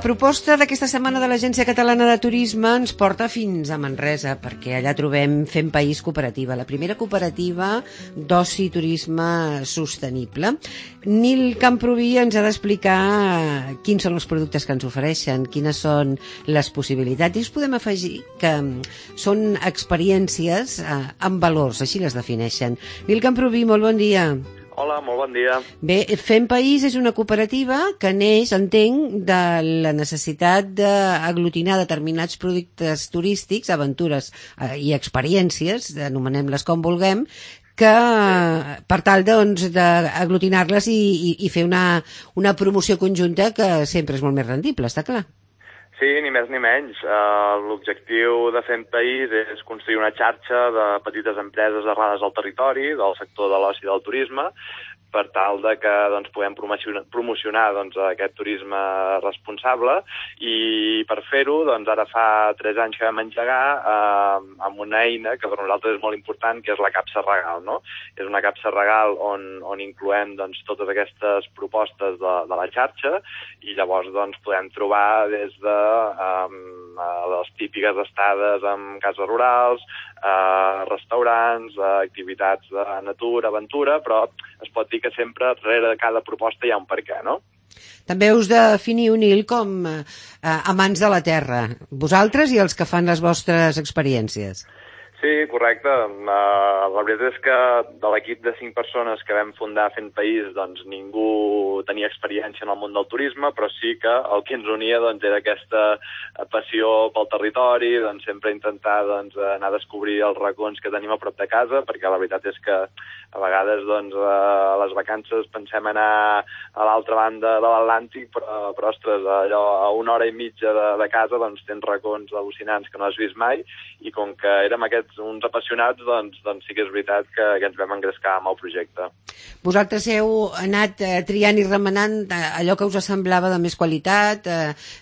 proposta d'aquesta setmana de l'Agència Catalana de Turisme ens porta fins a Manresa, perquè allà trobem Fem País Cooperativa, la primera cooperativa d'oci i turisme sostenible. Nil Camproví ens ha d'explicar quins són els productes que ens ofereixen, quines són les possibilitats, i us podem afegir que són experiències amb valors, així les defineixen. Nil Camproví, molt bon dia. Hola, molt bon dia. Bé, Fem País és una cooperativa que neix, entenc, de la necessitat d'aglutinar determinats productes turístics, aventures i experiències, anomenem-les com vulguem, que per tal doncs d'aglutinar-les i fer una promoció conjunta que sempre és molt més rendible, està clar? Sí, ni més ni menys. L'objectiu de Fem País és construir una xarxa de petites empreses arrelades al territori, del sector de l'oci i del turisme, per tal de que puguem promocionar aquest turisme responsable, i per fer-ho ara fa 3 anys que vam engegar amb una eina que per nosaltres és molt important, que és la capsa regal, no? És una capsa regal on incloem totes aquestes propostes de la xarxa, i llavors podem trobar des de les típiques estades en cases rurals, restaurants, activitats de natura, aventura, però es pot dir que sempre darrere de cada proposta hi ha un perquè, no? També us definiu, Nil, com amants de la terra, vosaltres i els que fan les vostres experiències. Sí, correcte. La veritat és que de l'equip de 5 persones que vam fundar Fent País, ningú tenia experiència en el món del turisme, però sí que el que ens unia era aquesta passió pel territori, sempre intentar anar a descobrir els racons que tenim a prop de casa, perquè la veritat és que a vegades a les vacances pensem anar a l'altra banda de l'Atlàntic, però ostres, allò a 1 hora i mitja de casa tens racons al·lucinants que no has vist mai, i com que érem uns apassionats, doncs sí que és veritat que ens vam engrescar amb el projecte. Vosaltres heu anat triant i remenant allò que us semblava de més qualitat,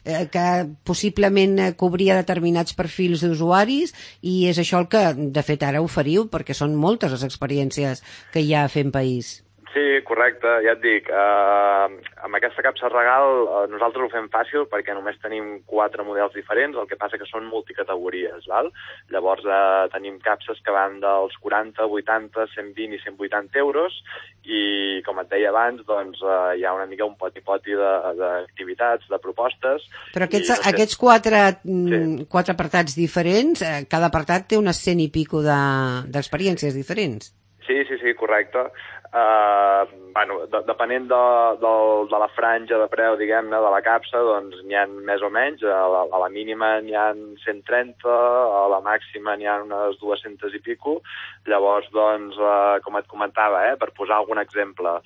que possiblement cobria determinats perfils d'usuaris, i és això el que, de fet, ara oferiu, perquè són moltes les experiències que hi ha a Fem País. Sí, correcte, ja et dic, amb aquesta capsa regal nosaltres ho fem fàcil perquè només tenim 4 models diferents, el que passa que són multicategories, val? Llavors tenim capses que van dels 40, 80, 120 i 180 euros, i com et deia abans, hi ha una mica un poti-poti d'activitats, de propostes. Però aquests 4 apartats diferents, cada apartat té unes 100 i pico d'experiències diferents. Sí, correcte. Depenent de la franja de preu, diguem-ne, de la capsa, n'hi ha més o menys. A la mínima n'hi ha 130, a la màxima n'hi ha unes 200 i pico. Llavors, com et comentava, per posar algun exemple,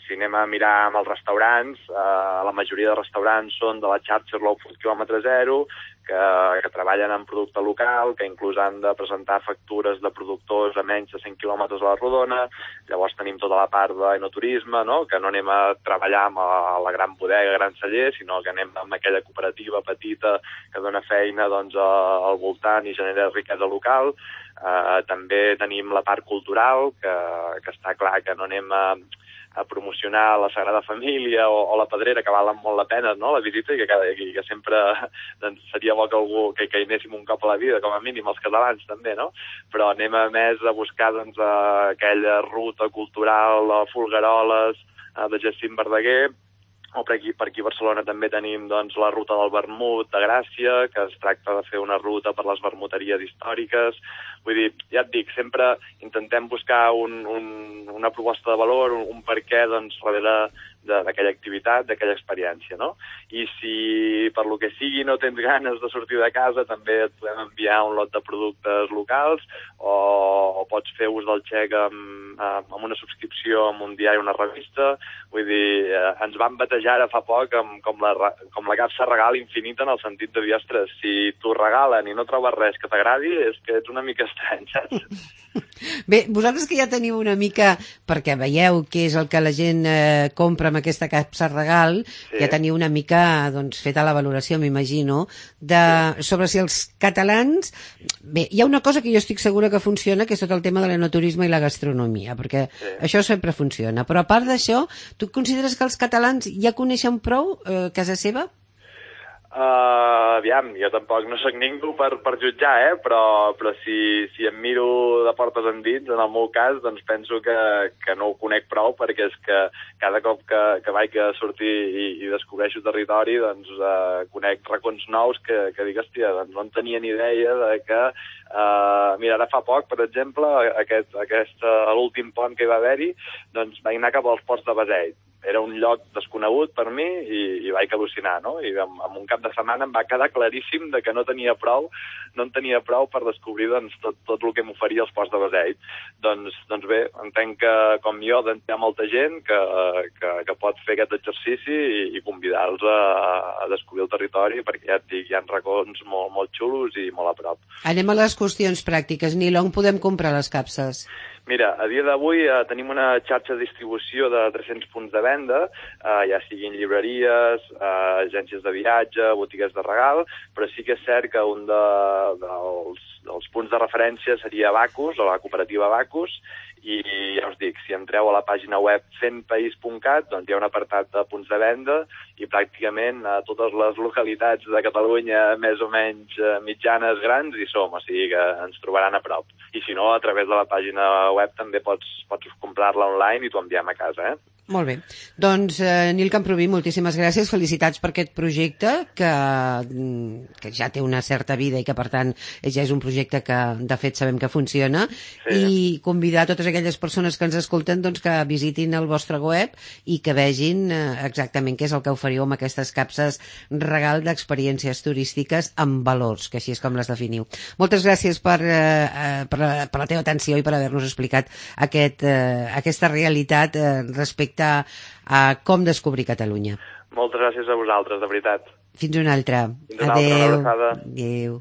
si anem a mirar amb els restaurants, la majoria de restaurants són de la xarxa Slow Food quilòmetre zero, que treballen en producte local, que inclús han de presentar factures de productors a menys de 100 quilòmetres a la rodona. Llavors tenim tota la part d'enoturisme, no? Que no anem a treballar amb la gran bodega, gran celler, sinó que anem amb aquella cooperativa petita que dona feina al voltant i genera riquesa local. També tenim la part cultural, que està clar que no anem a promocionar la Sagrada Família o la Pedrera, que valen molt la pena, no?, la visita, i que sempre seria bo que hi anéssim un cop a la vida, com a mínim els catalans també, no? Però anem a més a buscar aquella ruta cultural a Folgueroles, de Jacint Verdaguer, o per aquí a Barcelona també tenim la ruta del vermut de Gràcia, que es tracta de fer una ruta per les vermuteries històriques. Vull dir, ja et dic, sempre intentem buscar una proposta de valor, un perquè darrere d'aquella activitat, d'aquella experiència, no? I si per lo que sigui no tens ganes de sortir de casa, també et podem enviar un lot de productes locals, o pots fer ús del xec amb una subscripció amb un diari o una revista. Vull dir, ens van batejar ara fa poc com la capsa regal infinita, en el sentit de dir, ostres, si t'ho regalen i no trobes res que t'agradi, és que ets una mica estrany, saps? Bé, vosaltres que ja teniu una mica, perquè veieu què és el que la gent compra amb aquesta capsa regal, sí, ja teniu una mica feta la valoració, m'imagino, sobre si els catalans... Bé, hi ha una cosa que jo estic segura que funciona, que és tot el tema de l'enoturisme i la gastronomia, perquè això sempre funciona. Però a part d'això, tu consideres que els catalans ja coneixen prou casa seva? Aviam, jo tampoc no sóc ningú per jutjar, però si em miro de portes endins, en el meu cas, doncs penso que no ho conec prou, perquè és que cada cop que vaig a sortir i descobreixo territori, doncs conec racons nous que dic, hòstia, doncs no en tenia ni idea de que... mira, ara fa poc, per exemple, l'últim pont que hi va haver-hi, doncs vaig anar cap als ports de Beseit. Era un lloc desconegut per mi i vaig al·lucinar, no? I en un cap de setmana em va quedar claríssim de que no en tenia prou per descobrir doncs, tot el que m'oferia els ports de Beseit. Doncs bé, entenc que, com jo, hi ha molta gent que pot fer aquest exercici i convidar-los a descobrir el territori, perquè ja et dic, hi ha racons molt xulos i molt a prop. Anem a les qüestions pràctiques. Nil, on podem comprar les capses? Mira, a dia d'avui tenim una xarxa de distribució de 300 punts de venda, ja siguin llibreries, agències de viatge, botigues de regal, però sí que és cert que un dels punts de referència seria Bacus, o la cooperativa Bacus, i ja us dic, si entreu a la pàgina web fentpaís.cat, doncs hi ha un apartat de punts de venda i pràcticament a totes les localitats de Catalunya més o menys mitjanes grans hi som, o sigui que ens trobaran a prop. I si no, a través de la pàgina web també pots comprar-la online i t'ho enviem a casa, Molt bé. Doncs, Nil Camproví, moltíssimes gràcies. Felicitats per aquest projecte, que ja té una certa vida i que, per tant, ja és un projecte que, de fet, sabem que funciona. Sí. I convidar totes aquelles persones que ens escolten doncs, que visitin el vostre web i que vegin exactament què és el que oferiu amb aquestes capses regal d'experiències turístiques amb valors, que així és com les definiu. Moltes gràcies per la teva atenció i per haver-nos explicat aquesta realitat respecte a com descobrir Catalunya. Moltes gràcies a vosaltres, de veritat. Fins una altra. Fins una altra, una abraçada. Adéu.